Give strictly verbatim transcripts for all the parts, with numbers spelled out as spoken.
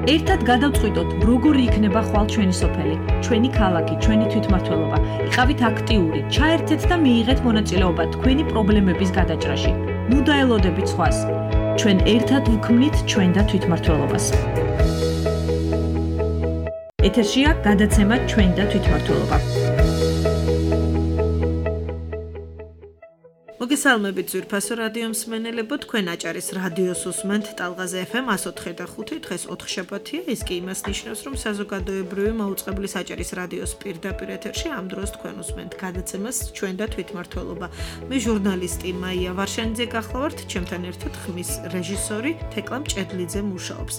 ერთად გადავწყვიტოთ, როგორი იქნება ხვალ ჩვენი სოფელი, ჩვენი ქალაქი, ჩვენი თვითმმართველობა. იყავით აქტიური, ჩაერთეთ და მიიღეთ მონაწილეობა თქვენი პრობლემების გადაჭრაში. ნუ დაელოდებით სხვას. ჩვენ ერთად ვქმნით ჩვენ და თვითმმართველობას. ეთერშია გადაცემა ჩვენ და თვითმმართველობა. მოგესალმებით ძვირფასო რადიო მსმენელებო, თქვენ აჭარის რადიოს უსმენთ ტალღაზე ეფ ემ εκατო ოთხი და ხუთი, დღეს ოთხშაბათია, ის კი იმას ნიშნავს, რომ საზოგადოებრივი მაუწყებლის აჭარის რადიოს პირდაპირ ეთერში ამ დროს თქვენ უსმენთ გადაცემას ჩვენ და თვითმმართველობა. მე ჟურნალისტი მაია ვარშანიძე გახლავართ, ჩემთან ერთად ხმის რეჟისორი თეკლა მჭედლიძე მუშაობს.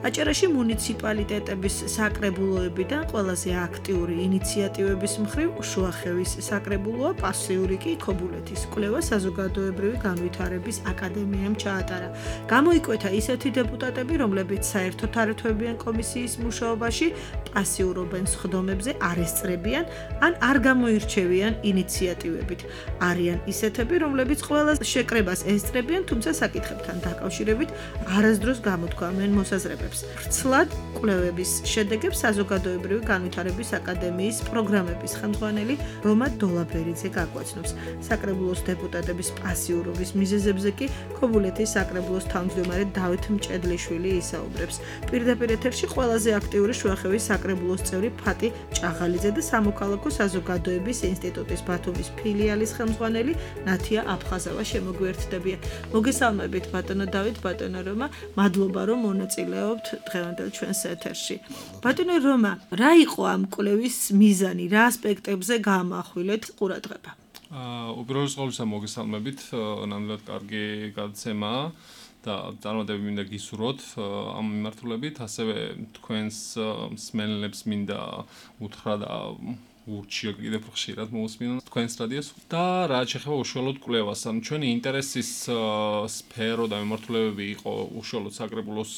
აჭარაში მუნიციპალიტეტების საკრებულოებიდან ყველაზე აქტიური ინიციატივების მხრივ შუახევის საკრებულოა, პასიური კი ქობულეთის კვლევა საზოგადოებრივი განვითარების აკადემიამ ჩაატარა. გამოიკვეთა ისეთი დეპუტატები, რომლებიც საერთოდ არ ეთვებიან კომისიის მუშაობაში, პასიურობენ სხდომებზე, არ ესწრებიან, ან არ გამოირჩევიან ინიციატივებით. არიან ისეთები, რომლებიც ყველა შეკრებას ესწრებიან, თუმცა საკითხებთან დაკავშირებით არასდროს გამოთქვამენ მოსაზრებებს. ვრცლად კვლევების შედეგებს საზოგადოებრივი განვითარების აკადემიის პროგრამების ხელმძღვანელი რომა დოლაბერიძე გაგვაცნობს. საკრებულოს დეპუტატების პასიურობის მიზეზებზე კი ქობულეთის საკრებულოს თავმჯდომარე დავით მჭედლიშვილი ისაუბრებს. პირდაპირ ეთერში ყველაზე აქტიური შუახევის საკრებულოს წევრი ფატი ჭაღალიძე და სამოქალაქო საზოგადოების ინსტიტუტის ბათუმის ფილიალის ხელმძღვანელი ნათია აფხაზავა შემოგვიერთდებიან. მოგესალმებით ბატონო დავით, ბატონო რომა, მადლობა რომ მონაწილეობთ დღევანდელ ჩვენს ეთერში. ბატონო რომა, რა იყო ამ კვლევის მიზანი, რა ასპექტებზე გაამახვილეთ ყურადღება? უპირველეს ყოვლისა მოგესალმებით, ნამდვილად კარგი გადაცემაა და წარმატებები მინდა გისურვოთ ამ მიმართულებით, ასევე თქვენს მსმენელებს მინდა უთხრა და ურჩიო კიდევ ხშირად მოусმინონ თქვენს რადიოს და რაც შეეხება უშუალოდ კვლევას, ანუ ჩვენი ინტერესის სფერო და მიმართულებები იყო უშუალოდ საკრებულოს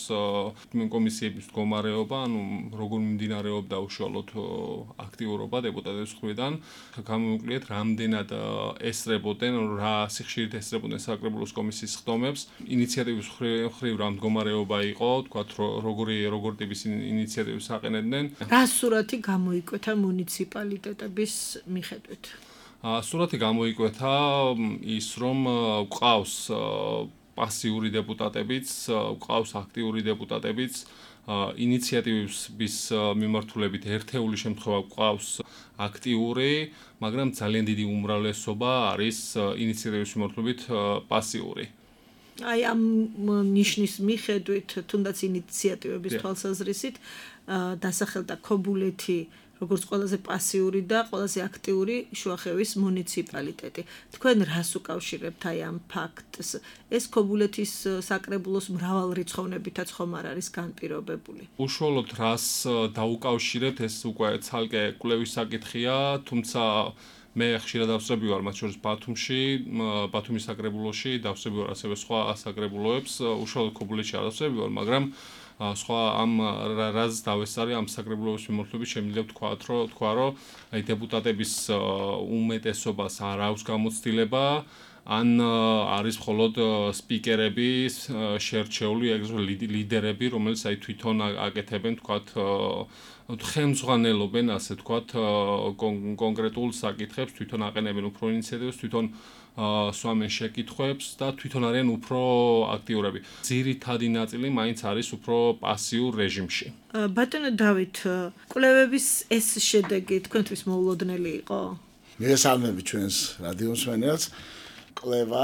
კომისიების მდგომარეობა, ანუ როგორ მიმდინარეობდა უშუალოდ აქტიურობა დეპუტატების მხრიდან, გამოვიკვლიეთ რამდენად ესწრებოდნენ, რა სიხშირით ესწრებოდნენ საკრებულოს კომისიის სხდომებს, ინიციატივის მხრივ რა მდგომარეობა იყო, თქვათ როგორი როგორ ტიპის ინიციატივებს აყენებდნენ. რა სურათი გამოიკვეთა მუნიციპალიტეტების დეპუტატების მიხედვით. სურათი გამოიკვეთა ის, რომ გვყავს პასიური დეპუტატებიც, გვყავს აქტიური დეპუტატებიც, ინიციატივების მიმართულებით ერთეული შემთხვევა გვყავს აქტიური, მაგრამ ძალიან დიდი უმრავლესობა არის ინიციატივების მიმართულებით პასიური. აი ამ ნიშნის მიხედვით, თუნდაც ინიციატივების თვალსაზრისით, დასახელდა ქობულეთი როგორც ყველაზე პასიური და ყველაზე აქტიური შუახევის მუნიციპალიტეტი. თქვენ რას უკავშირებთ აი ამ ფაქტს? ეს ქობულეთის საკრებულოს მრავალრიცხოვნებითაც ხომ არ არის განპირობებული? უშუალოდ რას დაუკავშირებთ, ეს უკვე ცალკე კვლევის საკითხია, თუმცა მე ხშირად დავსწრები ვარ მათ შორის ბათუმში, ბათუმის საკრებულოში, დავსწრები ვარ ასევე სხვა საკრებულოებს, უშუალოდ ქობულეთში არ დავსწრები ვარ, მაგრამ სხვა ამ რაზ დავესწარი ამ საკრებულოს მიმართულებით შემიძლია ვთქვათ, რომ თქვა, რომ აი დეპუტატების უმეტესობას არ აქვს გამოცდილება, ან არის მხოლოდ სპიკერები შერჩეული, ეგრეთ ლიდერები, რომელიც აი თვითონ აკეთებენ, თქვათ, ხელმძღვანელობენ, ასე თქვათ, კონკრეტულ საკითხებს, თვითონ აყენებენ უფრო ინიციატივებს, თვითონ სვამენ შეკითხვებს და თვითონ არიან უფრო აქტიურები. ძირითადი ნაწილი მაინც არის უფრო პასიურ რეჟიმში. ბატონო დავით, კვლევების ეს შედეგი თქვენთვის მოულოდნელი იყო? მოგესალმებით ჩვენს რადიო მსმენელს. კვლევა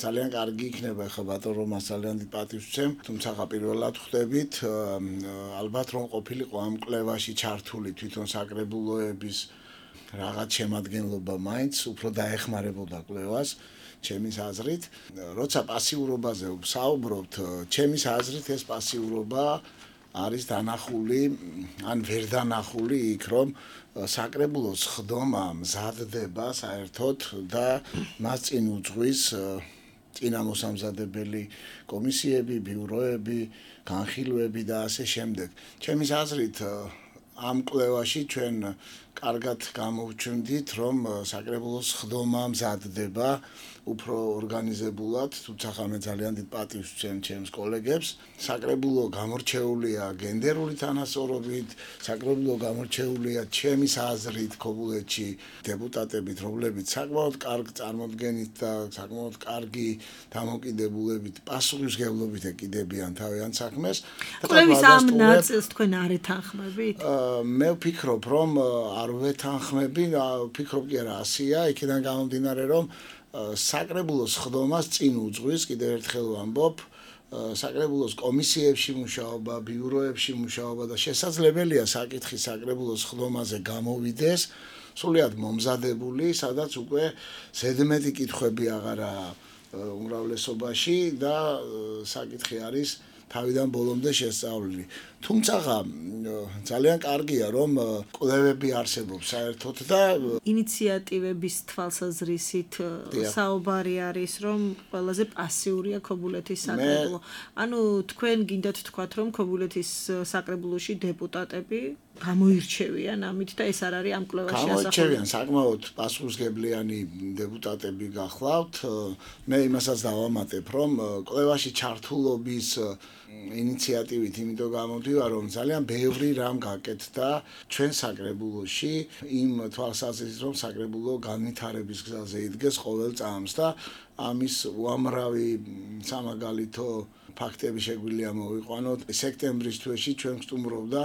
ძალიან კარგი იქნება, ხა ბატონო რომას ძალიან დიდ პატივს ვცემ, თუმცა პირველად ხვდებით, ალბათ რომ ყოფილიყო ამ კვლევაში ჩართული თვითონ საკრებულოების რაღაც შემადგენლობა მაინც უფრო დაეხმარებოდა კვლევას, ჩემის აზრით. როცა პასიურობაზე ვსაუბრობთ, ჩემის აზრით ეს პასიურობა არის დანახული, ან ვერ დანახული იქ, რომ საკრებულოს ხდომა მზადდება საერთოდ და მას წინ უძღვის წინამოსამზადებელი კომისიები, ბიუროები, განხილვები და ასე შემდეგ. ჩემის აზრით ამ კვლევაში ჩვენ კარგად გამოვჩნდით, რომ საკრებულოს ხდომა მზადდება უფრო ორგანიზებულად, თუმცა მე ძალიან დიდ პატივს ვცემ ჩემს კოლეგებს. საკრებულო გამორჩეულია გენდერული თანასწორობით, საკრებულო გამორჩეულია ჩემის აზრით ქობულეთში დეპუტატებით, რომლებიც საკმაოდ კარგ წარმოდგენით და საკმაოდ კარგი დამოკიდებულებით, პასუხისმგებლობით ეკიდებიან თავიანთ საქმეს. კვლევის ამ ნაწილს თქვენ არ ეთანხმებით? მე ვფიქრობ, რომ არ ვეთანხმები, ვფიქრობ კი არა ასია, იქიდან გამომდინარე, რომ საკრებულოს ხდომას წინ უძღვის, კიდევ ერთხელ ვამბობ, საკრებულოს კომისიებში მუშაობა, ბიუროებში მუშაობა და შესაძლებელია საკითხი საკრებულოს ხდომაზე გამოვიდეს სრულიად მომზადებული, სადაც უკვე ზედმეტი კითხვები აღარაა უმრავლესობაში და საკითხი არის თავიდან ბოლომდე შესწავლილი. თუმცა ძალიან კარგია, რომ კვლევები არსებობს საერთოდ და ინიციატივების თვალსაზრისით საუბარი არის, რომ ყველაზე პასიურია ქობულეთის საკრებულო. ანუ თქვენ გინდათ თქვათ, რომ ქობულეთის საკრებულოში დეპუტატები გამოირჩევიან ამით და ეს არ არის ამ კვლევაში ასახული. გამოირჩევიან, საკმაოდ პასუხისმგებლიანი დეპუტატები გახლავთ. მე იმასაც დავამატებ, რომ კვლევაში ჩართულობის ინიციატივით იმიტომ გამოდივარ, რომ ძალიან ბევრი რამ გაკეთდა ჩვენ საკრებულოში იმ თვალსაზრისით, რომ საკრებულო განვითარების გზაზე იდგეს ყოველ წამს და ამის უამრავი სამაგალითო ფაქტები შეგვიძლია მოვიყვანოთ. სექტემბრის თვეში ჩვენ ვსტუმრობდა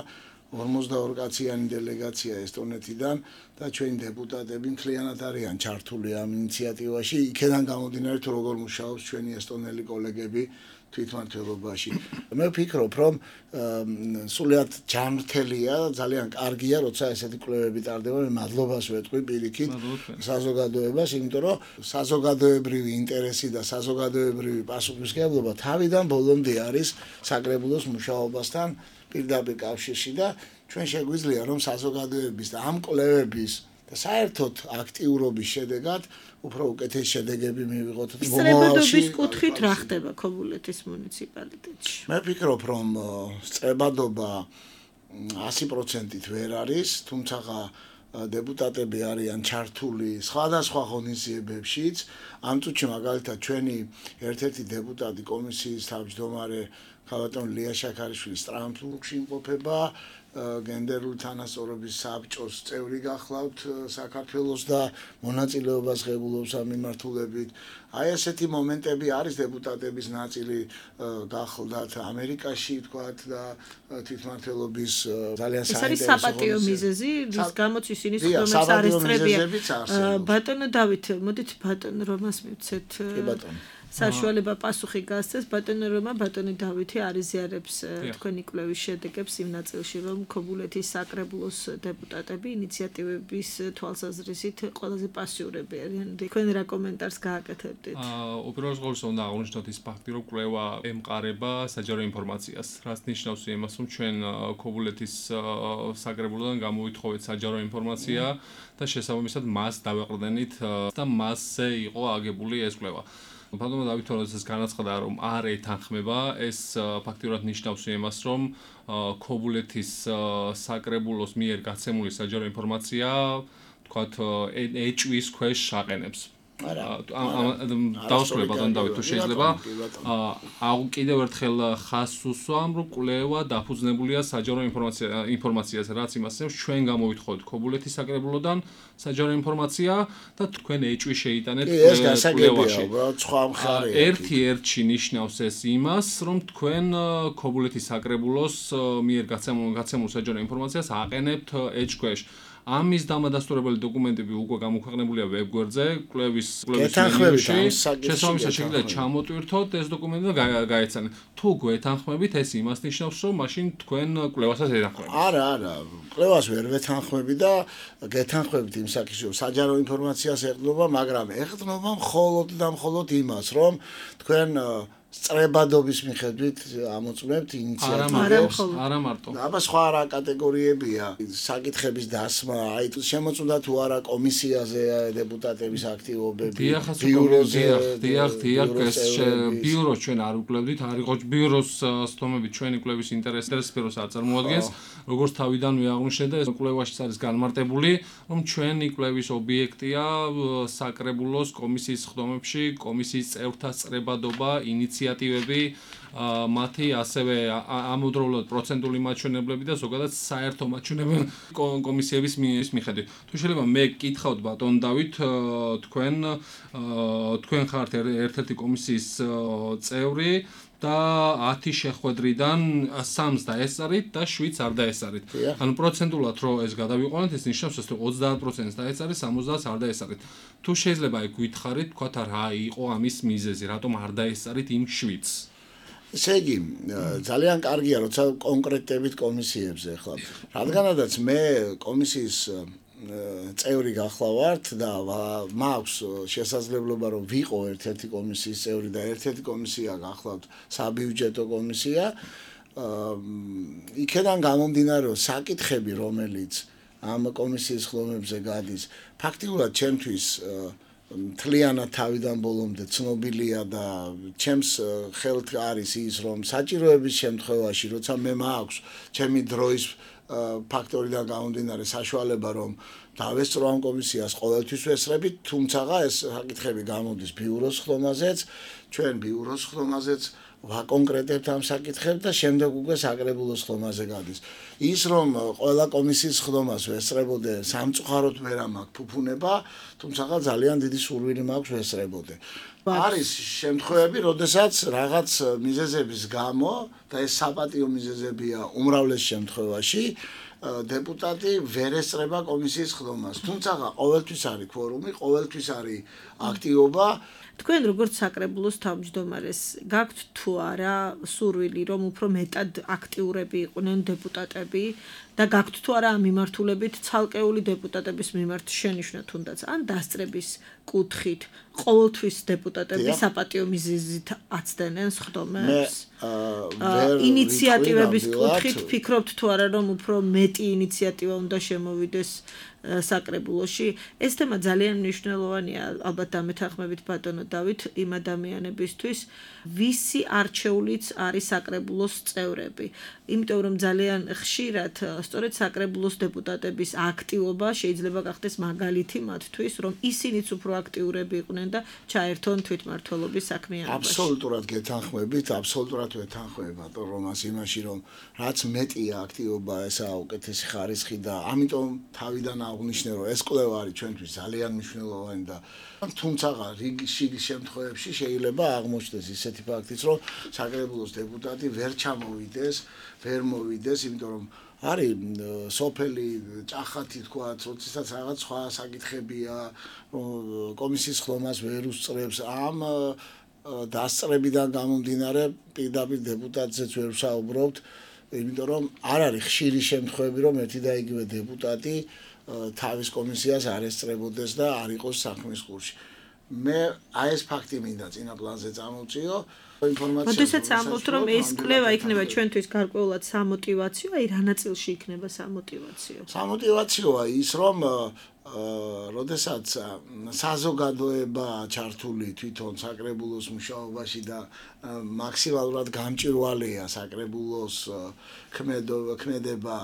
ორმოცდაორი კაციანი დელეგაცია ესტონეთიდან და ჩვენი დეპუტატები მთლიანად არიან ჩართული ამ ინიციატივაში. იქიდან გამომდინარე, თუ როგორ მუშაობს ჩვენი ესტონელი კოლეგები თვითმმართველობაში. მე ვფიქრობ, რომ სულიად ჯანმრთელია, ძალიან კარგია, როცა ესეთი კვლევები ტარდება. მე მადლობას ვეთქვი პირიქით საზოგადოებას, იმიტომ რომ საზოგადოებრივი ინტერესი და საზოგადოებრივი პასუხისმგებლობა თავიდან ბოლომდე არის საკრებულოს მუშაობასთან პირდაპირ კავშირში და ჩვენ შეგვიძლია, რომ საზოგადოების და ამ კვლევების და საერთოდ აქტიურობის შედეგად უფრო უკეთესი შედეგები მივიღოთ. სწრებადობის კუთხით რა ხდება ქობულეთის მუნიციპალიტეტში? მე ვფიქრობ, რომ სწრებადობა ასი პროცენტით ვერ არის, თუმცა დეპუტატები არიან ჩართული სხვადასხვა ღონისძიებებშიც. ამ წუთში მაგალითად ჩვენი ერთ-ერთი დეპუტატი კომისიის თავმჯდომარე ქალბატონი ლია შაქარიშვილი სტრამფურგში იმყოფება, გენდერული თანასწორობის საბჭოს წევრი გახლავთ საქართველოს და მონაწილეობას ღებულობს ამ მიმართულებით. აი ესეთი მომენტები არის, დეპუტატების ნაწილი გახლდათ ამერიკაში თქვათ და თვითმმართველობის ძალიან საინტერესო. ეს არის საპატიო მიზეზი, რის გამოც ისინი ხდომებს არ ესწრებიან. ბატონო დავით, მოდით ბატონო რომას მივცეთ. კი ბატონო. საშუალება პასუხი გასცეს ბატონო რომა ბატონი დავითი არიზიარებს თქვენი კვლევის შედეგებს იმ ნაწილში, რომ ქობულეთის საკრებულოს დეპუტატები ინიციატივების თვალსაზრისით ყველაზე პასიურები არიან. თქვენ რა კომენტარს გააკეთებდით? უპირველეს ყოვლისა უნდა აღვნიშნოთ ის ფაქტი, რომ კვლევა ემყარება საჯარო ინფორმაციას, რაც ნიშნავს იმას, რომ ჩვენ ქობულეთის საკრებულოდან გამოვითხოვეთ საჯარო ინფორმაცია და შესაბამისად მას დავეყრდენით და მასზე იყო აგებული ეს კვლევა. ბატონო დავით როდესაც განაცხადა, რომ არ ეთანხმება, ეს ფაქტიურად ნიშნავს იმას, რომ ქობულეთის საკრებულოს მიერ გაცემული საჯარო ინფორმაცია, თქვათ, ეჭვის ქვეშ აყენებს. დავსრულე ბატონო დავით, თუ შეიძლება კიდევ ერთხელ ხაზს უსვამ, რომ კვლევა დაფუძნებულია საჯარო ინფორმაციაზე, რაც იმას ნიშნავს, ჩვენ გამოვითხოვეთ ქობულეთის საკრებულოდან საჯარო ინფორმაცია და თქვენ ეჭვი შეიტანეთ კვლევაში. ერთი-ერთში ნიშნავს ეს იმას, რომ თქვენ ქობულეთის საკრებულოს მიერ გაცემულ საჯარო ინფორმაციას აყენებთ ეჭვს ქვეშ. ამის დამადასტურებელი დოკუმენტები უკვე გამოქვეყნებულია ვებგვერდზე, კვლევის კვლევის მენიუში. შესაბამისად შეგიძლიათ ჩამოტვირთოთ ეს დოკუმენტი და გაეცანეთ. თუ გვეთანხმებით, ეს იმას ნიშნავს, რომ მაშინ თქვენ კვლევასაც ეთანხმებით. არა, არა, კვლევას ვერ ვეთანხმები და გეთანხმებით იმ საკითხში, რომ საჯარო ინფორმაციას ეყრდნობა, მაგრამ ეყრდნობა მხოლოდ და მხოლოდ იმას, რომ თქვენ სწრებადობის მიხედვით ამოწმებთ ინიციატივებს. არა მარტო. აბა სხვა რა კატეგორიებია, საკითხების დასმა, აი შემოწმდა თუ არა კომისიაზე დეპუტატების აქტივობები, ბიუროზე, დიახ, დიახ, ეს ბიუროს ჩვენ არ უკლევდით, არ იყო ბიუროს სტომებით ჩვენი კვლევის ინტერესების სფეროს არ წარმოადგენს, როგორც თავიდანვე აღნიშნე და ეს კვლევაში არის განმარტებული, რომ ჩვენი კვლევის ობიექტია საკრებულოს კომისიის ხდომებში კომისიის წევრთა სწრებადობა, ინიციატივები, მათი ასევე ამავდროულად პროცენტული მაჩვენებლები და ზოგადად საერთო მაჩვენებლები კომისიების მიხედვით. თუ შეიძლება მე გკითხავთ ბატონ დავით, თქვენ თქვენ ხართ ერთ-ერთი კომისიის წევრი და ათი შეხვედრიდან სამს დაესწარით და შვიდს არ დაესწარით. ანუ პროცენტულად რო ეს გადავიყვანოთ, ეს ნიშნავს, რომ ოცდაათ პროცენტს დაესწარით, სამოცდაათს არ დაესწარით. თუ შეიძლება აი გითხარით, თქვათ რა იყო ამის მიზეზი, რატომ არ დაესწარით იმ შვიდს? ესე იგი, ძალიან კარგია, როცა კონკრეტებით კომისიებზე ხლა. რადგანაც მე კომისიის წევრი გახლავართ და მაქვს შესაძლებლობა რომ ვიყო ერთ-ერთი კომისიის წევრი და ერთ-ერთი კომისია გახლავთ საბიუჯეტო კომისია, იქიდან გამომდინარე რომ საკითხები რომელიც ამ კომისიის ხდომებზე გადის, ფაქტიურად ჩემთვის მთლიანად თავიდან ბოლომდე ცნობილია და ჩემს ხელთ არის ის რომ საჭიროების შემთხვევაში როცა მე მაქვს ჩემი დროის ფაქტორიდან გამომდინარე საშუალება რომ დავესწრო ამ კომისიას ყოველთვის ვესწრებით, თუმცა ეს საკითხები გამოდის ბიუროს ხდომაზეც, ჩვენ ბიუროს ხდომაზეც ვაკონკრეტებთ ამ საკითხებს და შემდეგ უკვე საკრებულოს ხდომაზე გადის. ის რომ ყველა კომისიის ხდომას ვესწრებოდე სამწუხაროდ ვერ მაქვს ფუფუნება, თუმცა ძალიან დიდი სურვილი მაქვს ვესწრებოდე. არის შემთხვევები, როდესაც რაღაც მიზეზების გამო და ეს საპატიო მიზეზებია უმრავლეს შემთხვევაში დეპუტატი ვერ ესწრება კომისიის ხდომას. თუმცა ყოველთვის არის კვორუმი, ყოველთვის არის აქტივობა. თქვენ როგორც საკრებულოს თავმჯდომარეს გაქვთ თუ არა სურვილი რომ უფრო მეტად აქტიურები იყვნენ დეპუტატები და გაქვთ თუ არა ამ მიმართულებით ცალკეული დეპუტატების მიმართ შენიშვნა თუნდაც ან დასწრების კუთხით ყოველთვის დეპუტატები საპატიო მიზეზით აცდენენ ხდომებს ინიციატივების კუთხით ფიქრობთ თუ არა რომ უფრო მეტი ინიციატივა უნდა შემოვიდეს საკრებულოში. ეს თემა ძალიან მნიშვნელოვანია, ალბათ დამეთანხმებით ბატონო დავით, იმ ადამიანებისთვის, ვისი არჩეულიც არის საკრებულოს წევრები. იმიტომ რომ ძალიან ხშირად სწორედ საკრებულოს დეპუტატების აქტივობა შეიძლება გახდეს მაგალითი მათთვის, რომ ისინიც უფრო აქტიურები იყვნენ და ჩაერთონ თვითმმართველობის საქმიანობაში. აბსოლუტურად გეთანხმებით, აბსოლუტურად ვეთანხმები ბატონ რომას იმაში, რომ რაც მეტია აქტივობა, ესაა უკეთესი ხარისხი და ამიტომ თავიდან აღნიშნე რომ ეს კვლევა არის ჩვენთვის ძალიან მნიშვნელოვანი და თუმცა რიგი შემთხვევებში შეიძლება აღმოჩნდეს ისეთი ფაქტიც რომ საკრებულოს დეპუტატი ვერ ჩამოვიდეს, ვერ მოვიდეს, იმიტომ რომ არის სოფელი ჭახათი თქვა, როდესაც რაღაც სხვა საკითხებია, კომისიის ხდომას ვერ უსწრებს, ამ დასწრებიდან გამომდინარე პირდაპირ დეპუტატზეც ვერ ვსაუბრობთ, იმიტომ რომ არ არის ხშირი შემთხვევები რომ ერთი და იგივე დეპუტატი თავის კომისიას არ ესწრებოდეს და არ იყოს საქმის კურსში. მე აი ეს ფაქტი მინდა წინა პლანზე წამოვწიო ინფორმაცია. როდესაც ამბობთ რომ ეს კვლევა იქნება ჩვენთვის გარკვეულად სამოტივაციო, აი რა ნაწილში იქნება სამოტივაციო? სამოტივაციოა ის რომ როდესაც საზოგადოება ჩართული თვითონ საკრებულოს მუშაობაში და მაქსიმალურად გამჭვირვალეა საკრებულოს ქმედება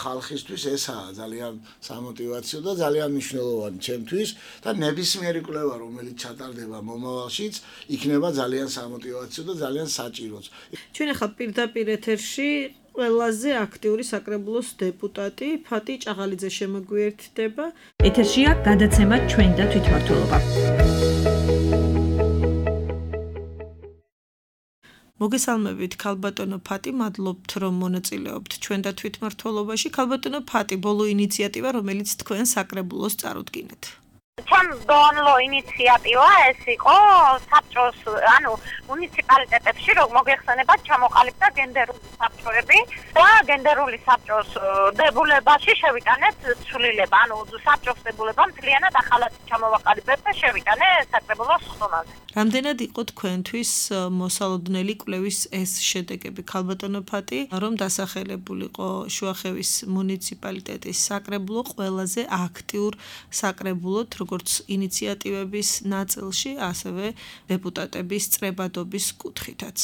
ხალხისთვის, ესაა ძალიან სამოტივაციო და ძალიან მნიშვნელოვანი ჩემთვის და ნებისმიერი კვლევა რომელიც ჩატარდება მომავალშიც იქნება ძალიან სამოტივაციო და ძალიან საჭიროც. ჩვენ ახლა პირდაპირ ეთერში ყველაზე აქტიური საკრებულოს დეპუტატი ფატი ჭაღალიძე შემოგვიერთდება. ეთერშია გადაცემა ჩვენ და თვითმმართველობა. მოგესალმებით ქალბატონო ფატი, მადლობთ რომ მონაწილეობთ ჩვენ და თვითმმართველობაში. ქალბატონო ფატი, ბოლო ინიციატივა რომელიც თქვენ საკრებულოს წარუდგინეთ. ჩემ ბოლო ინიციატივა ეს იყო საბჭოს, ანუ მუნიციპალიტეტებში რომ მოგეხსენებათ ჩამოყალიბდა გენდერული საბჭოები და გენდერული საბჭოს დებულებაში შევიტანეთ ცვლილება, ანუ საბჭოს დებულება მთლიანად ახალად ჩამოვაყალიბეთ და შევიტანეთ საკრებულოს ხომაზე. რამდენად იყო თქვენთვის მოსალოდნელი კვლევის ეს შედეგები, ქალბატონო ფატი, რომ დასახელებულიყო შუახევის მუნიციპალიტეტის საკრებულო ყველაზე აქტიურ საკრებულოდ, როგორც ინიციატივების ნაწილში, ასევე დეპუტატების წრებადობის კუთხითაც.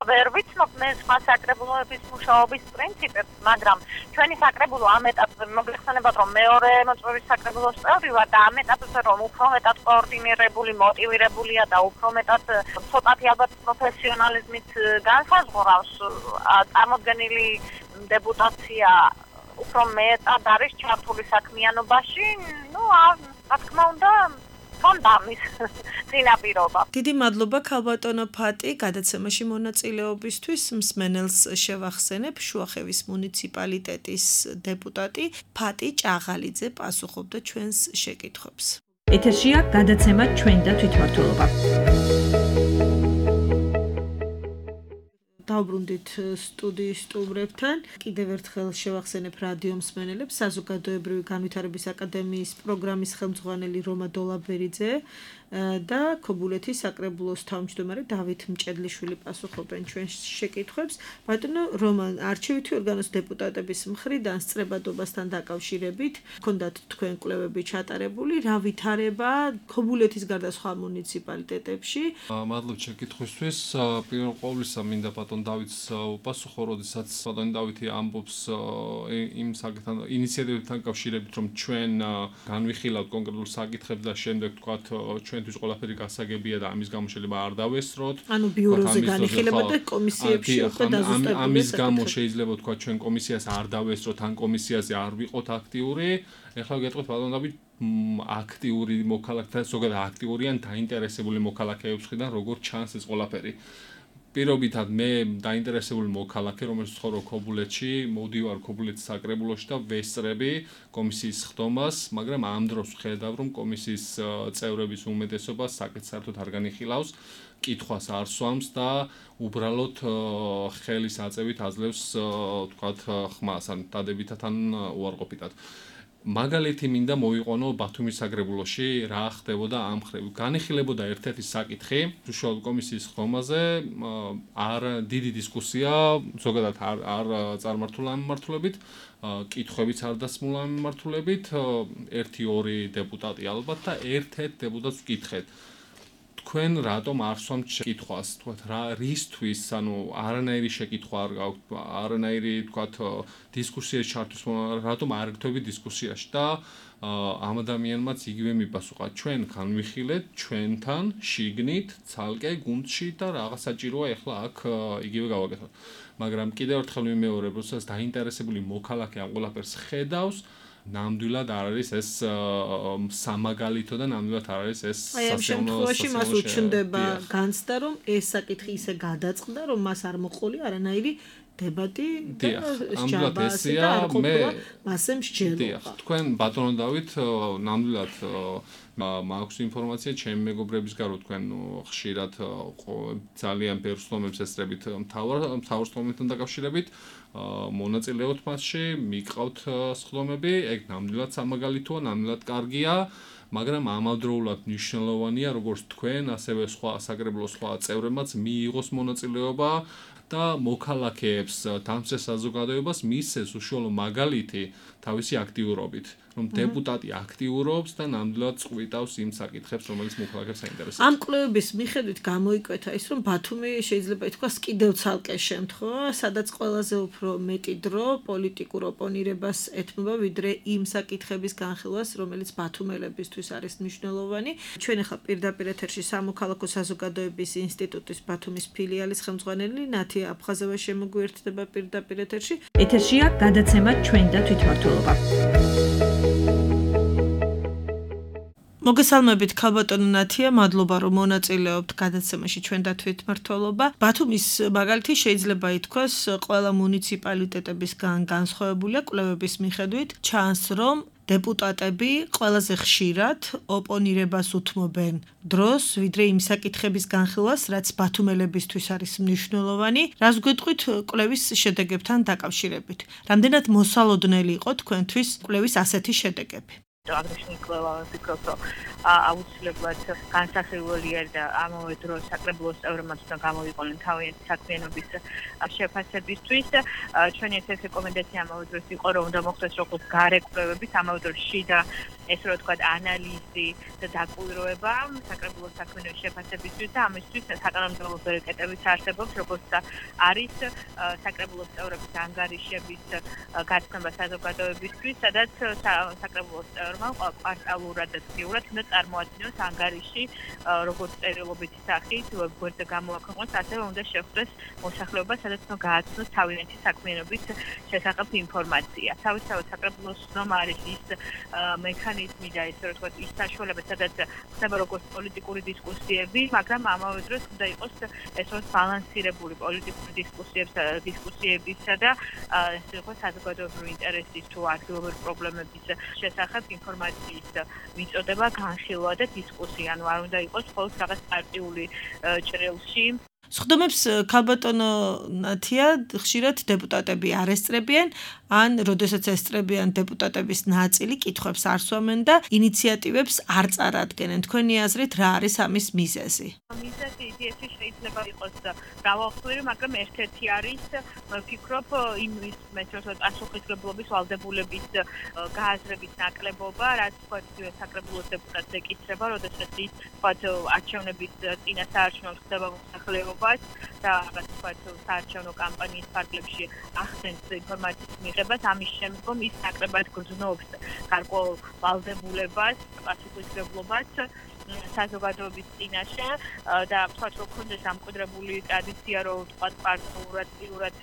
ვერ ვიცნობ მე სხვა საკრებულოების მუშაობის პრინციპებს, მაგრამ ჩვენი საკრებულო ამ ეტაპზე მოგეხსენებათ, რომ მეორე მოწვევის საკრებულოს წევრი ვარ და ამ ეტაპზე რომ უფრო მეტად კოორდინირებული, მოტივირებულია და უფრო მეტად ცოტათი ალბათ პროფესიონალიზმით განსაზღვრავს წარმოდგენილი დეპუტაცია უფრო მეტად არის ჩართული საქმიანობაში, ну, რა თქმა უნდა კონდამის წინაპირობა. დიდი მადლობა ქალბატონო ფატი გადაცემაში მონაწილეობისთვის. მსმენელს შევახსენებ, შუახევის მუნიციპალიტეტის დეპუტატი ფატი ჭაღალიძე პასუხობდა ჩვენს შეკითხვებს. ეთერშია გადაცემა ჩვენ და თვითმმართველობა. დავბრუნდით სტუდიის სტუმრებთან. კიდევ ერთხელ შევახსენებ რადიო მსმენელებს საზოგადოებრივი განვითარების აკადემიის პროგრამის ხელმძღვანელი რომა დოლაბერიძე და ქობულეთის საკრებულოს თავმჯდომარე დავით მჭედლიშვილი პასუხობენ ჩვენს შეკითხვებს. ბატონო რომან, არჩევითი ორგანოს დეპუტატების მხრიდან სწრებადობასთან დაკავშირებით ჰქონდათ თქვენ კვლევები ჩატარებული, რა ვითარება ქობულეთის გარდა სხვა მუნიციპალიტეტებში? მადლობ შეკითხვისთვის. პირველ ყოვლისა მინდა ბატონ დავითს უპასუხო, როდესაც ბატონ დავითი ამბობს იმ საკითხთან ინიციატივებთან კავშირებით, რომ ჩვენ განვიხილავთ კონკრეტულ საკითხებს და შემდეგ თქვათ ჩვენთვის ყველაფერი გასაგებია და ამის გამო შეიძლება არ დავესწროთ. ანუ ბიუროზე განიხილება და კომისიებში უკვე დაზუსტებულია. ამის გამო შეიძლება თქვა ჩვენ კომისიას არ დავესწროთ, ან კომისიაზე არ ვიყოთ აქტიური. ეხლა გეტყვით ბატონ დავით აქტიური მოქალაქეთა, ზოგადად აქტიური ან დაინტერესებული მოქალაქეების მხრიდან როგორ ჩანს ეს ყველაფერი. პირობითად მე დაინტერესებული მოქალაქე, რომელიც ცხოვრობ ქობულეთში, მოვდივარ ქობულეთის საკრებულოში და ვესწრები კომისიის ხდომას, მაგრამ ამ დროს ვხედავ, რომ კომისიის წევრების უმეტესობა საკითხს საერთოდ არ განიხილავს, კითხვას არ სვამს და უბრალოდ ხელის აწევით აძლევს, თქვათ, ხმას, ან დადებითად ან უარყოფითად. მაგალითი მინდა მოვიყვანო ბათუმის საკრებულოში რა ხდებოდა ამ ხრივ. განიხილებოდა ერთ-ერთი საკითხი უშუალოდ კომისიის ხდომაზე, არ დიდი დისკუსია, ზოგადად არ არ წარმართულა ამ მიმართულებით, კითხვებიც არ დასმულა ამ მიმართულებით, ერთი ორი დეპუტატი ალბათ და ერთ-ერთ დეპუტატს ვკითხეთ. თქვენ რატომ არ სვამთ შეკითხვას, თქვათ რა რისთვის, ანუ არანაირი შეკითხვა არ გაქვთ, არანაირი თქვათ დისკუსიაში ჩართვის, რატომ არ გქონდით დისკუსიაში და ამ ადამიანმაც იგივე მიპასუხა, ჩვენ განვიხილეთ ჩვენთან შიგნით, ცალკე გუნდში და რაღაც საჭიროა ეხლა აქ იგივე გავაკეთოთ. მაგრამ კიდევ ერთხელ ვიმეორებ, როდესაც დაინტერესებული მოქალაქე ამ ყველაფერს ხედავს, ნამდვილად არ არის ეს სამაგალითო და ნამდვილად არ არის ეს აი ამ შემთხვევაში მას უჩნდება განცდა, რომ ეს საკითხი ისე გადაწყდა, რომ მას არ მოყოლი არანაირი დებატი და ჯაბასი და არ ყოფილა მასე მსჯელობა. თქვენ ბატონო დავით ნამდვილად მაქვს ინფორმაცია ჩემი მეგობრების გარო, თქვენ ხშირად ძალიან ბევრ სტომებს ესწრებით მთავარ მთავარ სტომებთან დაკავშირებით, მონაწილეობთ მასში, მიყავთ სხდომები, ეგ ნამდვილად სამაგალითოა, ნამდვილად კარგია, მაგრამ ამავდროულად მნიშვნელოვანია, როგორც თქვენ, ასევე სხვა საკრებულოს სხვა წევრებმაც მიიღოს მონაწილეობა და მოქალაქეებს, დამცველ საზოგადოებას მისცეს უშუალო მაგალითი თავისი აქტიურობით, რომ დეპუტატი აქტიურობს და ნამდვილად წყვიტავს იმ საკითხებს, რომელიც მოქალაქეებს აინტერესებს. ამ კვლევების მიხედვით გამოიკვეთა ის, რომ ბათუმი შეიძლება ითქვას კიდევ ცალკე შემთხვევა, სადაც ყველაზე უფრო მეტი დრო პოლიტიკურ ოპონირებას ეთმობა, ვიდრე იმ საკითხების განხილვას, რომელიც ბათუმელებისთვის არის მნიშვნელოვანი. ჩვენ ახლა პირდაპირ ეთერში სამოქალაქო საზოგადოების ინსტიტუტის ბათუმის ფილიალის ხელმძღვანელი ნათია აფხაზევა შემოგვიერთდება პირდაპირ ეთერში. ეთერშია გადაცემა ჩვენ და თვითმმართველობა. მოგესალმებით ქალბატონო ნათია, მადლობა რომ მონაწილეობთ გადაცემაში ჩვენ და თვითმმართველობა. ბათუმის მაგალითი შეიძლება ითქვას ყველა მუნიციპალიტეტებისგან განსხვავებულია კვლევების მიხედვით. ჩანს რომ დეპუტატები ყველაზე ხშირად ოპონირებას უთმობენ დროს, ვიდრე იმ საკითხების განხილვას, რაც ბათუმელებისთვის არის მნიშვნელოვანი. რას გვეტყვით კვლევის შედეგებთან დაკავშირებით? რამდენად მოსალოდნელი იყო თქვენთვის კვლევის ასეთი შედეგები? Agresion კვლევა ვფიქრობ, რომ აუცილებლად განსახილველია და ამავე დროს საკრებულოს წევრებმაც უნდა გამოვიყენონ თავიანთი საქმიანობის შეფასებისთვის. ჩვენი ეს რეკომენდაცია ამავე დროს იყო, რომ უნდა მოხდეს როგორც გარე კვლევების, ამავე დროს შიდა ესე რომ ვთქვათ, ანალიზი და დაკვირვება საკრებულოს საქმიანობის შეფასებისთვის და ამისთვის საკანონმდებლო ბერკეტებიც არსებობს, როგორც არის საკრებულოს წევრების ანგარიშების გაცნობა საზოგადოებისთვის, სადაც საკრებულოს წევრმა კვარტალურად და დღიურად უნდა წარმოადგინოს ანგარიში, როგორც წერილობითი სახით, ვებგვერდზე გამოაქვეყნოს, ასევე უნდა შეხვდეს მოსახლეობა, სადაც უნდა გააცნოს თავიანთი საქმიანობის შესახებ ინფორმაცია. თავისთავად საკრებულოს ნომა არის ის მექანიზმი და ესე რომ ვთქვათ, ის საშუალება, სადაც ხდება როგორც პოლიტიკური დისკუსიები, მაგრამ ამავე დროს უნდა იყოს ეს რომ ბალანსირებული პოლიტიკური დისკუსიებსა დისკუსიებისა და ესე რომ საზოგადოებრივი ინტერესის თუ ადგილობრივი პრობლემების შესახებ ინფორმაციის მიწოდება, განხილვა და დისკუსია. ანუ არ უნდა იყოს მხოლოდ რაღაც პარტიული ჭრილში. სხდომებს ქალბატონო ნათია ხშირად დეპუტატები არ ესწრებიან, ან როდესაც ესწრებიან დეპუტატების ნაწილი კითხვებს არ სვამენ და ინიციატივებს არ წარადგენენ. თქვენი აზრით რა არის ამის მიზეზი? მიზეზი იდეაში შეიძლება იყოს მრავალფერი, მაგრამ ერთ-ერთი არის, ვფიქრობ, იმის მეტროსად პასუხისმგებლობის ვალდებულების გააზრების ნაკლებობა, რაც ვთქვათ, საკრებულოს დეპუტატს ეკისრება, როდესაც ის ვთქვათ, არჩევნების წინა საარჩევნო ხდება მოსახლეობა და რაღაც ვთქვათ, საარჩევნო კამპანიის ფარგლებში ახდენს ინფორმაციის მიღებას, ამის შემდგომ ის ნაკლებად გრძნობს გარკვეულ ვალდებულებას, პასუხისმგებლობას საზოგადოების წინაშე და ვთქვათ, რომ ქონდეს დამკვიდრებული ტრადიცია, რომ ვთქვათ, პარტიულად პირად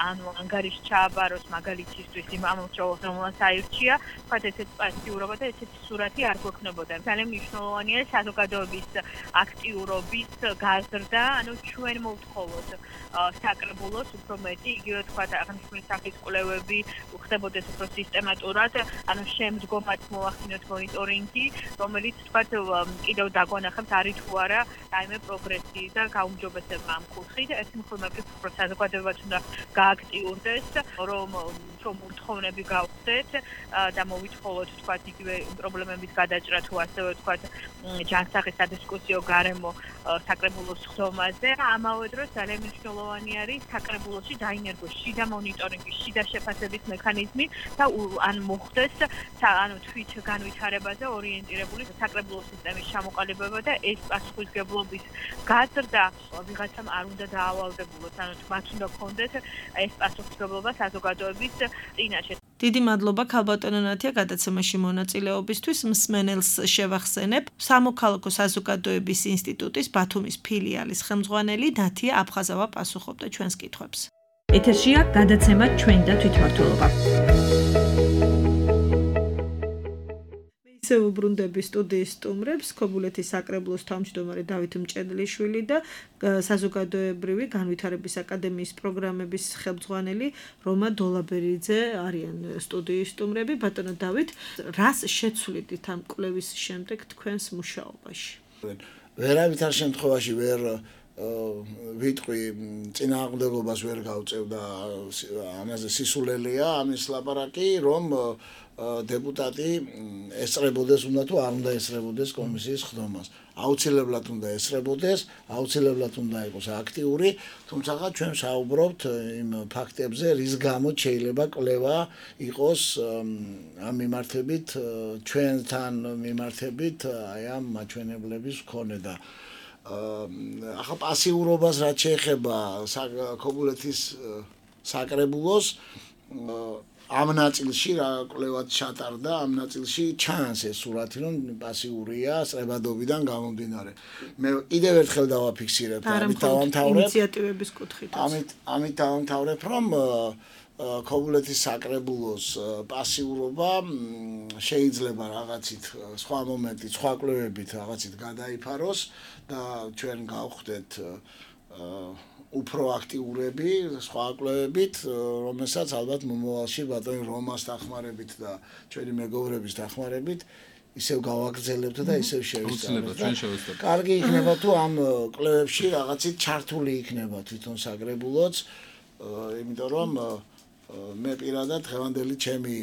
ანუ ანგარიში ჩააბაროს მაგალითისთვის იმ ამომრჩეველს, რომელსაც აირჩია, ვთქვათ, ესეთი პასიურობა და ესეთი სურათი არ გვექნებოდა. ძალიან მნიშვნელოვანია საზოგადოების აქტიურობის გაზრდა, ანუ ჩვენ მოვთხოვოთ საკრებულოს უფრო მეტი, იგივე ვთქვათ, აღნიშნული სახის კვლევები ხდებოდეს უფრო სისტემატურად, ანუ შემდგომად მოახდინოთ მონიტორინგი, რომელიც ვთქვათ, კიდევ დაგვანახებთ არის თუ არა რაიმე პროგრესი და გაუმჯობესება ამ კუთხით. ერთი მხრივ უფრო საზოგადოებაც უნდა გააქტიურდეს, რომ რომ ურთხოვნები გავხდეთ და მოვითხოვოთ ვთქვათ, იგივე პრობლემების გადაჭრა თუ ასევე ვთქვათ, ჯანსაღი სადისკუსიო გარემო საკრებულოს ხდომაზე. ამავე დროს ძალიან მნიშვნელოვანი არის საკრებულოში დაინერგოს შიდა მონიტორინგი, შიდა შეფასების მექანიზმი და ან მოხდეს ანუ თვით განვითარებაზე ორიენტირებული საკრებულოს სისტემის ჩამოყალიბება და ეს პასუხისმგებლობის გაზრდა ვიღაცამ არ უნდა დაავალდებულოს, ანუ მათ უნდა გქონდეს ეს პასუხისმგებლობა საზოგადოების წინაშე. დიდი მადლობა ქალბატონო ნათია გადაცემაში მონაწილეობისთვის. მსმენელს შევახსენებ, სამოქალაქო საზოგადოების ინსტიტუტის ბათუმის ფილიალის ხელმძღვანელი ნათია აფხაზავა პასუხობდა ჩვენს კითხვებს. ეთერშია გადაცემა ჩვენ და თვითმმართველობა. ისევ უბრუნდები სტუდიის სტუმრებს, ქობულეთის საკრებულოს თავმჯდომარე დავით მჭედლიშვილი და საზოგადოებრივი განვითარების აკადემიის პროგრამების ხელმძღვანელი რომა დოლაბერიძე არიან სტუდიის სტუმრები. ბატონო დავით, რას შეცვლიდით ამ კვლევის შემდეგ თქვენს მუშაობაში? ვერავითარ შემთხვევაში ვერ ვიტყვი წინააღმდეგობას ვერ გავწევ და ამაზე სისულელია ამის ლაპარაკი, რომ დეპუტატი ესწრებოდეს უნდა თუ არ უნდა ესწრებოდეს კომისიის ხდომას. აუცილებლად უნდა ესწრებოდეს, აუცილებლად უნდა იყოს აქტიური, თუმცა ჩვენ საუბრობთ იმ ფაქტებზე, რის გამოც შეიძლება კვლევა იყოს ამ მიმართებით, ჩვენთან მიმართებით, აი ამ მაჩვენებლების მქონე და ახლა პასიურობას რაც შეეხება ქობულეთის საკრებულოს ამ ნაწილში რა კვლევაც ჩატარდა, ამ ნაწილში ჩანს ეს სურათი, რომ პასიურია სწრებადობიდან გამომდინარე. მე კიდევ ერთხელ დავაფიქსირებ და ამით დავამთავრებ ინიციატივების კუთხით. ამით ამით დავამთავრებ, რომ ქობულეთის საკრებულოს პასიურობა შეიძლება რაღაცით სხვა მომენტით, სხვა კვლევებით რაღაცით გადაიფაროს და ჩვენ გავხდეთ უფრო აქტიურები სხვა კვლევებით, რომელსაც ალბათ მომავალში ბატონი რომას დახმარებით და ჩვენი მეგობრების დახმარებით ისევ გავაგრძელებთ და ისევ შევისწავლებთ. კარგი იქნება თუ ამ კვლევებში რაღაცით ჩართული იქნება თვითონ საკრებულოც, იმიტომ რომ მე პირადად დღევანდელი ჩემი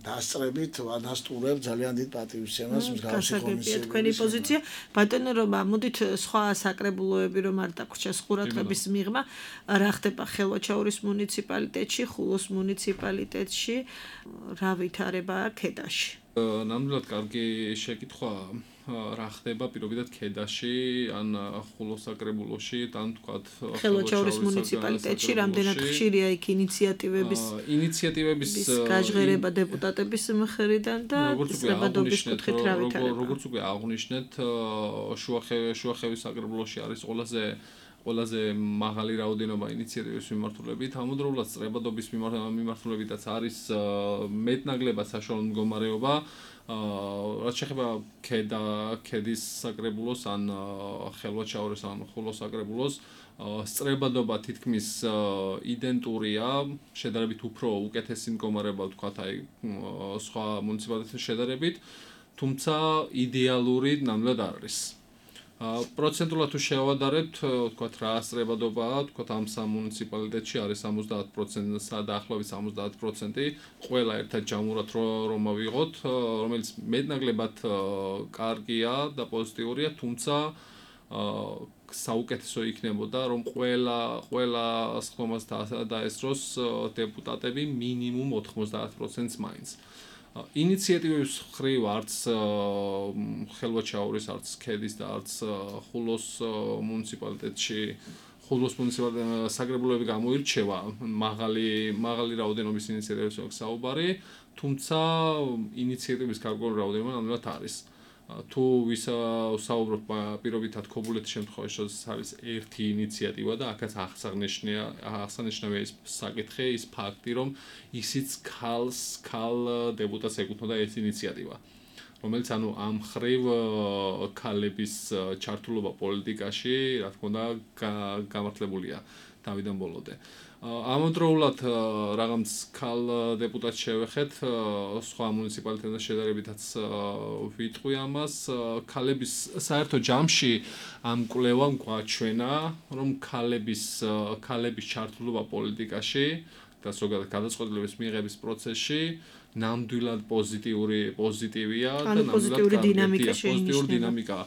დასწრებით ვადასტურებ ძალიან დიდ პატივისცემას მსგავსი კომისიების. თქვენი პოზიცია ბატონო რომა, მოდით სხვა საკრებულოები რომ არ დაგვრჩეს ყურადღების მიღმა, რა ხდება ხელვაჩაურის მუნიციპალიტეტში, ხულოს მუნიციპალიტეტში, რა ვითარება ქედაში? ნამდვილად კარგი შეკითხვაა. რა ხდება პირობითად ქედაში, ან ხულოს საკრებულოში, ან თქვათ ხელვაჩაურის მუნიციპალიტეტში, რამდენად ხშირია იქ ინიციატივების ინიციატივების გაჟღერება დეპუტატების მხრიდან და სრებადობის კუთხით რა ვითარება? როგორც უკვე აღნიშნეთ, შუახევის საკრებულოში არის ყველაზე ყველაზე მაღალი რაოდენობა ინიციატივების მიმართულებით, ამავდროულად სრებადობის მიმართულებითაც არის მეტნაკლებად საშუალო მდგომარეობა. რაც შეეხება ქედა ქედის საკრებულოს ან ხელვაჩაურის ან ხულოს საკრებულოს სწრებადობა თითქმის იდენტურია, შედარებით უფრო უკეთესი მდგომარეობა ვთქვათ აი სხვა მუნიციპალიტეტთან შედარებით, თუმცა იდეალური ნამდვილად არ არის. პროცენტულად თუ შევადარებთ, ვთქვათ რა სწრებადობაა, ვთქვათ ამ სამ მუნიციპალიტეტში არის სამოცდაათ პროცენტი, დაახლოებით სამოცდაათ პროცენტი, ყველა ერთად ჯამურად რომ ავიღოთ, რომელიც მეტნაკლებად კარგია და პოზიტიურია, თუმცა საუკეთესო იქნებოდა, რომ ყველა ყველა სხდომას დაესწროს დეპუტატები მინიმუმ ოთხმოცდაათ პროცენტს მაინც. ინიციატივების მხრივ არც ხელვაჩაურის, არც ქედის და არც ხულოს მუნიციპალიტეტში ხულოს მუნიციპალიტეტის საკრებულოები გამოირჩევა მაღალი მაღალი რაოდენობის ინიციატივებს აქვს საუბარი, თუმცა ინიციატივების გარკვეული რაოდენობა ნამდვილად არის. თუ ვისაუბროთ პირობითად ქობულეთის შემთხვევაში, როდესაც არის ერთი ინიციატივა და აქაც აღსანიშნავია აღსანიშნავია ის საკითხი, ის ფაქტი, რომ ისიც ქალს ქალ დეპუტატს ეკუთვნოდა ეს ინიციატივა, რომელიც ანუ ამ მხრივ ქალების ჩართულობა პოლიტიკაში, რა თქმა უნდა, გამართლებულია თავიდან ბოლომდე. ამავდროულად რაღაც ქალ დეპუტატს შევეხეთ, სხვა მუნიციპალიტეტთან შედარებითაც ვიტყვი ამას, ქალების საერთო ჯამში ამ კვლევამ გვაჩვენა, რომ ქალების ქალების ჩართულობა პოლიტიკაში და ზოგადად გადაწყვეტილების მიღების პროცესში ნამდვილად პოზიტიური პოზიტივია და ნამდვილად პოზიტიური დინამიკა.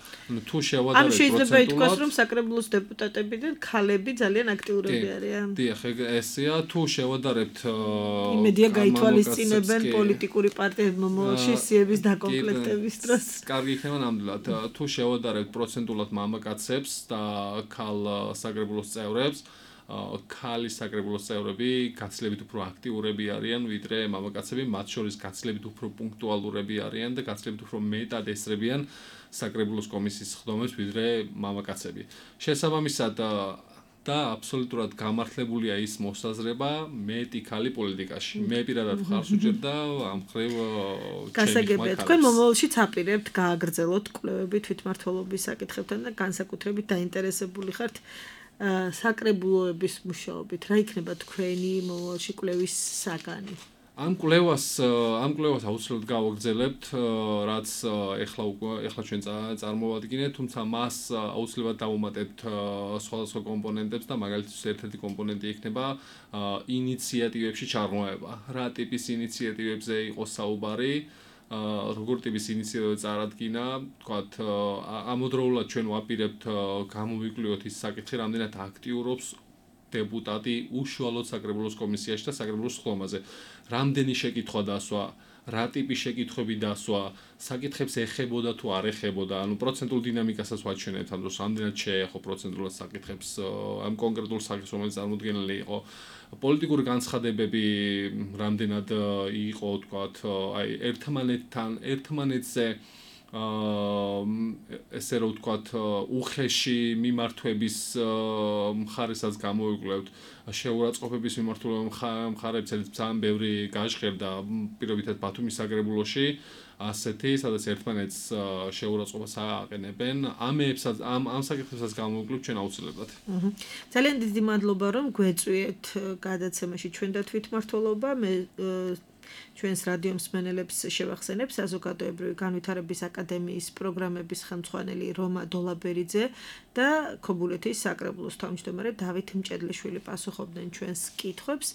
თუ შევადარებთ ამ შეიძლება ითქვას, რომ საკრებულოს დეპუტატებიდან ქალები ძალიან აქტიურები არიან. დიახ, ესეა, თუ შევადარებთ იმედია გაითვალისწინებენ პოლიტიკური პარტიების მომავალში სიების დაკომპლექტების დროს. კარგი იქნება ნამდვილად. თუ შევადარებთ პროცენტულად მამაკაცებს და ქალ საკრებულოს წევრებს, ქალი საკრებულოს წევრები გაცილებით უფრო აქტიურები არიან ვიდრე მამაკაცები, მათ შორის გაცილებით უფრო პუნქტუალურები არიან და გაცილებით უფრო მეტად ესწრებიან საკრებულოს კომისიის სხდომებს ვიდრე მამაკაცები. შესაბამისად და აბსოლუტურად გამართლებულია ის მოსაზრება მეტი ქალი პოლიტიკაში. მე პირადად ხარს უჭერდა ამ მხრივ გასაგებია. თქვენ მომავალშიც აპირებთ გააგრძელოთ კვლევები თვითმმართველობის საკითხებთან და განსაკუთრებით დაინტერესებული ხართ საკრებულოების მუშაობით. რა იქნება თქვენი მომავალში კვლევის საგანი? ამ კვლევას ამ კვლევას აუცილებლად გავაგრძელებთ, რაც ეხლა ეხლა ჩვენ წარმოვადგინეთ, თუმცა მას აუცილებლად დავუმატებთ სხვადასხვა კომპონენტებს და მაგალითად ერთ-ერთი კომპონენტი იქნება ინიციატივებში ჩაღრმავება. რა ტიპის ინიციატივებზე იყოს საუბარი? როგორ ტიპის ინიციატივა წარადგინა, თქვათ, ამავდროულად ჩვენ ვაპირებთ გამოვიკვლიოთ ის საკითხი, რამდენად აქტიურობს დეპუტატი უშუალოდ საკრებულოს კომისიაში და საკრებულოს სხდომაზე. რამდენი შეკითხვა დასვა, რა ტიპის შეკითხვები დასვა, საკითხებს ეხებოდა თუ არ ეხებოდა, ანუ პროცენტულ დინამიკასაც ვაჩვენებთ, ანუ რამდენად შეეხო პროცენტულად საკითხებს ამ კონკრეტულ საკითხს, რომელიც წარმოდგენილი იყო. პოლიტიკური განცხადებები რამდენად იყო, თქვათ, აი ერთმანეთთან, ერთმანეთზე ესე რომ ვთქვათ, უხეში მიმართვების მხარესაც გამოვიკვლებთ, შეურაცხყოფების მიმართულება მხარეებს ძალიან ბევრი გაჟღერდა პირობითად ბათუმის საკრებულოში, ასეთი, სადაც ერთმანეთს შეურაცხყოფას აყენებენ. ამებსაც ამ ამ საკითხებსაც გამოვიკვლებთ ჩვენ აუცილებლად. ძალიან დიდი მადლობა, რომ გვეწვიეთ გადაცემაში ჩვენ და თვითმმართველობა. მე ჩვენს რადიო მსმენელებს შევახსენებ საზოგადოებრივი განვითარების აკადემიის პროგრამების ხელმძღვანელი რომა დოლაბერიძე და ქობულეთის საკრებულოს თავმჯდომარე დავით მჭედლიშვილი პასუხობდნენ ჩვენს კითხვებს.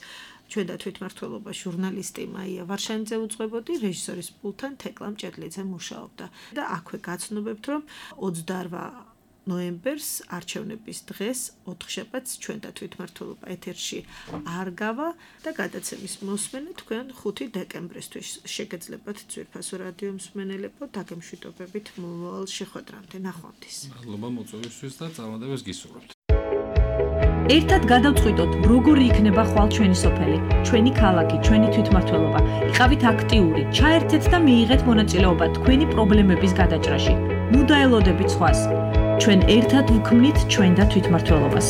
ჩვენ და თვითმმართველობა ჟურნალისტი მაია ვარშანიძე უძღვებოდი, რეჟისორის პულტთან თეკლა მჭედლიძე მუშაობდა. და აქვე გაცნობებთ, რომ ოცდაოთხ ნოემბერს არჩევნების დღეს ოთხშაბათს ჩვენ და თვითმმართველობა ეთერში არ გავა და გადაცემის მოსმენა თქვენ ხუთი დეკემბრისთვის შეგეძლებათ ძვირფასო რადიო მსმენელებო დაგემშვიდობებით მომავალ შეხვედრამდე ნახვამდის. მადლობა მოწვევისთვის და წარმატებას გისურვებთ. ერთად გადავწყვიტოთ, როგორი იქნება ხვალ ჩვენი სოფელი, ჩვენი ქალაქი, ჩვენი თვითმმართველობა. იყავით აქტიური, ჩაერთეთ და მიიღეთ მონაწილეობა თქვენი პრობლემების გადაჭრაში. ნუ დაელოდებით სხვას. ჩვენ ერთად ვქმნით ჩვენ და თვითმმართველობას.